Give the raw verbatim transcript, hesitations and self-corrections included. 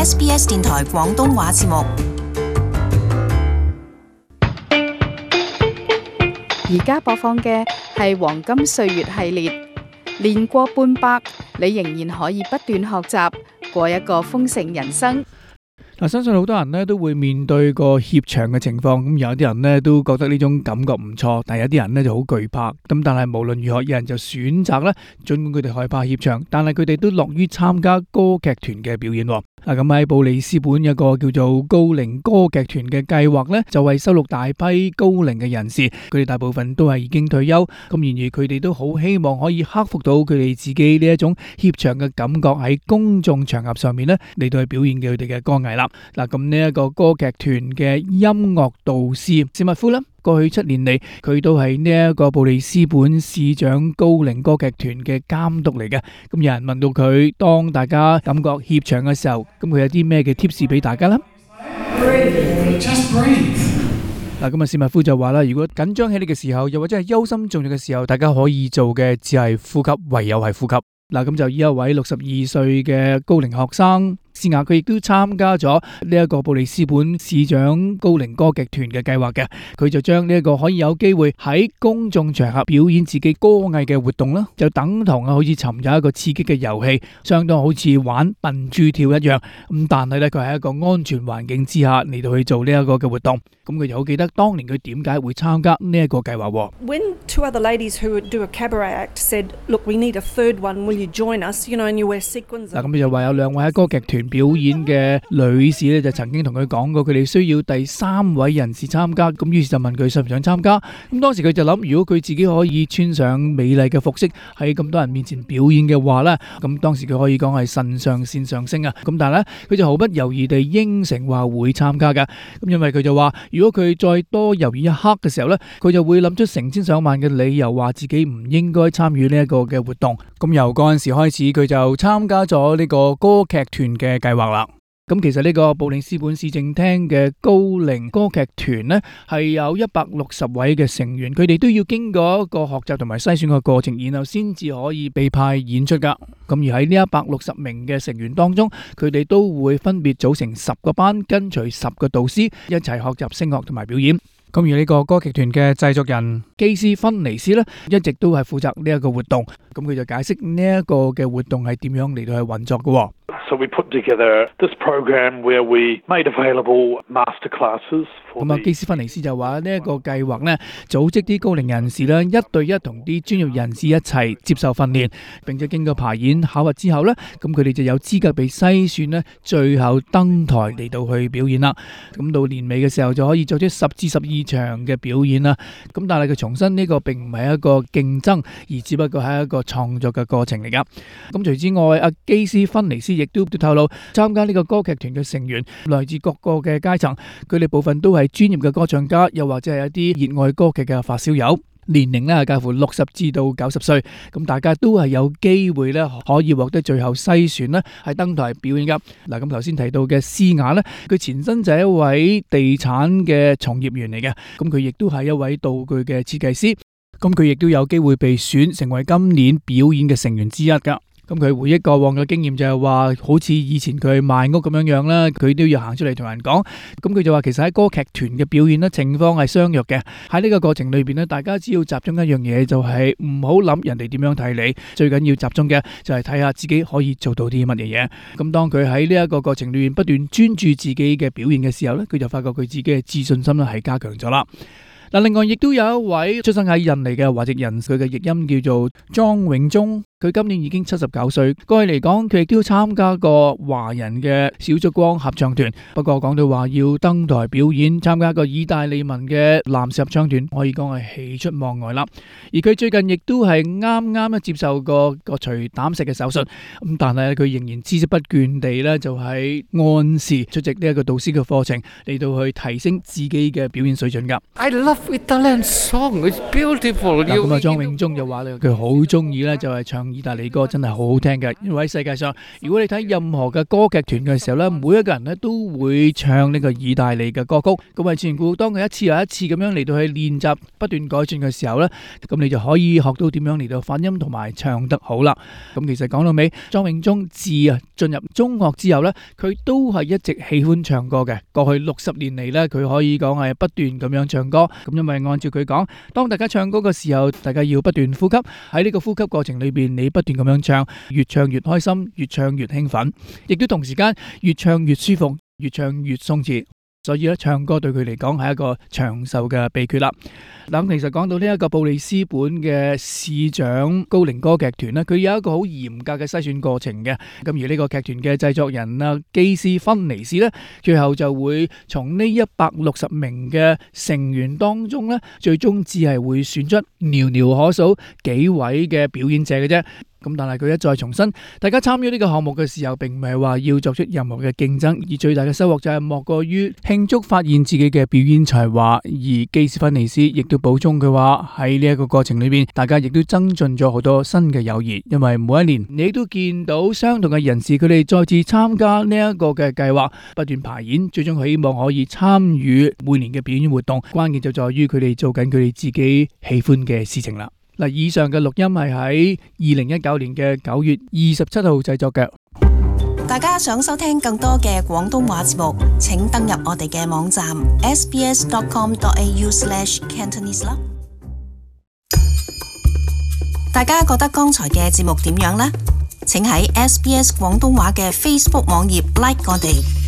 S B S 電台廣東話節目。而家播放嘅係黃金歲月系列，年過半百，你仍然可以不斷學習，過一個豐盛人生。嗱，相信好多人咧都會面對個怯場嘅情況，咁有啲人咧都覺得呢種感覺唔錯，但係有啲人咧就好懼怕。咁但係無論如何，有人就選擇咧，儘管佢哋害怕怯場，但係佢哋都樂於參加歌劇團嘅表演。嗱，咁喺布里斯本有個叫做高齡歌劇團嘅計劃咧，就為收錄大批高齡嘅人士，佢哋大部分都係已經退休，咁然而佢哋都好希望可以克服到佢哋自己呢一種怯場嘅感覺，喺公眾場合上面咧嚟到去表現佢哋嘅歌藝啦。嗱，咁呢一個歌劇團嘅音樂導師史密夫啦，過去七年嚟佢都係呢一個布里斯本市長高齡歌劇團嘅監督嚟嘅。咁有人問到佢，當大家感覺怯場嘅時候，咁佢有啲咩嘅 tips 俾大家咧？嗱，咁啊史密夫就話啦，如果緊張起嚟嘅時候，又或者係憂心忡忡嘅時候，大家可以做嘅只係呼吸，唯有係呼吸。嗱，咁就以一位六十二歲嘅高齡學生施雅，佢亦都參加咗呢一個布里斯本市長高齡歌劇團嘅計劃嘅。佢就將呢一個可以有機會喺公眾場合表演自己歌藝嘅活動啦，就等同啊好似尋找一個刺激嘅遊戲，相當好似玩笨豬跳一樣。咁但係咧，佢喺一個安全環境之下嚟到去做呢一個嘅活動。咁佢就好記得當年佢點解會參加呢一個計劃。When two other ladies who would do a cabaret act said, "Look, we need a third one. Will you join us?" You know, and you wear sequins. 嗱，咁就話有兩位喺歌劇團表演嘅女士咧，就曾經同佢講過，佢哋需要第三位人士參加。咁於是就問佢想唔想參加。咁當時佢就諗，如果佢自己可以穿上美麗嘅服飾喺咁多人面前表演嘅話咧，咁當時佢可以講係腎上腺上升啊。咁但係咧，佢就毫不猶豫地應承話會參加㗎。咁因為佢就話，如果佢再多猶豫一刻嘅時候咧，佢就會諗出成千上萬嘅理由，話自己唔應該參與呢一個嘅活動。咁由嗰陣時開始，佢就參加咗呢個歌劇團嘅計劃啦。咁其實呢個布里斯本市政廳嘅高齡歌劇團呢，係有一百六十位嘅成員，佢哋都要經過一個學習同埋篩選嘅過程，然後先至可以被派演出噶。咁而喺呢一百六十名嘅成員當中，佢哋都會分別組成十個班，跟隨十個導師一齊學習聲樂同埋表演。咁而呢個歌劇團嘅製作人基斯芬尼斯呢，一直都係負責呢一個活動。咁佢就解釋呢一個嘅活動係點樣嚟到去運作嘅。So we put together this program where we made available master classes. 咁啊，基斯芬尼斯就話呢一個計劃呢，組織啲高齡人士咧，一對一同啲專業人士一齊接受訓練，並且經過排演考核之後呢，咁佢哋就有資格被篩選呢，最後登台嚟到去表演啦。咁到年尾嘅時候就可以做出十至十二場嘅表演啦。咁但係佢重申呢個並唔係一個競爭，而只不過係一個創作嘅過程嚟噶。咁除之外，阿基斯芬尼斯亦都都透露，參加呢個歌劇團嘅成員來自各個嘅階層，佢哋部分都係專業嘅歌唱家，又或者係一啲熱愛歌劇嘅發燒友，年齡咧係介乎六十至到九十歲，咁大家都係有機會咧可以獲得最後篩選咧係登台表演噶。嗱，咁頭先提到嘅施雅咧，佢前身就係一位地產嘅從業員嚟嘅，咁佢亦都係一位道具嘅設計師，咁佢亦都有機會被選成為今年表演嘅成員之一噶。咁佢回憶過往嘅經驗就係話，好似以前佢賣屋咁樣樣啦，佢都要行出嚟同人講。咁佢就話其實喺歌劇團嘅表演呢，情況係相若嘅。喺呢個過程裏邊呢，大家只要集中一樣嘢，就係唔好諗人哋點樣睇你，最緊要集中嘅就係睇下自己可以做到啲乜嘢嘢。咁當佢喺呢一個過程裏邊不斷專注自己嘅表現嘅時候呢，佢就發覺佢自己嘅自信心咧係加強咗啦。嗱，另外亦都有一位出生喺印尼嘅華籍人，佢嘅譯音叫做莊永忠。佢今年已經七十九歲，過去嚟講佢亦都參加過華人嘅小燭光合唱團。不過講到話要登台表演，參加一個意大利文嘅男士合唱團，可以講係喜出望外啦。而佢最近亦都係啱啱咧接受過個除膽石嘅手術，咁但係佢仍然孜孜不倦地咧就係按時出席呢一個導師嘅課程，嚟到去提升自己嘅表演水準噶。I love Italian song, it's beautiful. 咁啊，莊永忠就話咧，佢好中意咧就係唱意大利歌真係好好聽嘅。因為喺世界上，如果你睇任何嘅歌劇團嘅時候咧，每一個人咧都會唱呢個意大利嘅歌曲。咁啊，自然估當佢一次又一次咁樣嚟到去練習，不斷改進嘅時候咧，咁你就可以學到點樣嚟到發音同埋唱得好啦。咁其實講到尾，莊永忠自啊進入中學之後咧，佢都係一直喜歡唱歌嘅。過去六十年嚟咧，佢可以講係不斷咁樣唱歌。咁因為按照佢講，當大家唱歌嘅時候，大家要不斷呼吸。喺呢個呼吸過程裏邊，你不斷咁樣唱，越唱越開心，越唱越興奮，亦都同時間越唱越舒服，越唱越鬆弛。所以咧，唱歌對佢嚟講係一個長壽嘅秘訣啦。嗱，其實講到呢一個布里斯本嘅市長高齡歌劇團咧，佢有一個好嚴格嘅篩選過程嘅。咁而呢個劇團嘅製作人啊，基斯芬尼斯咧，最後就會從呢一百六十名嘅成員當中咧，最終只係會選出寥寥可數幾位嘅表演者嘅啫。咁但係佢一再重申，大家參與呢個項目嘅時候，並唔係話要作出任何嘅競爭，而最大嘅收穫就係莫過於慶祝發現自己嘅表演才華。而基斯芬尼斯亦都補充佢話，喺呢一個過程裏邊，大家亦都增進咗好多新嘅友誼，因為每一年你都見到相同嘅人士，佢哋再次參加呢一個嘅計劃，不斷排演，最終希望可以參與每年嘅表演活動。關鍵就在於佢哋做緊佢哋自己喜歡嘅事情啦。嗱，以上嘅錄音係喺二零一九年嘅九月二十七號製作嘅。大家想收聽更多嘅廣東話節目，請登入我哋嘅網站 s b s dot com dot a u slash cantonese 啦。大家覺得剛才嘅節目點樣呢？請喺 S B S 廣東話嘅 Facebook 網頁 like 我哋。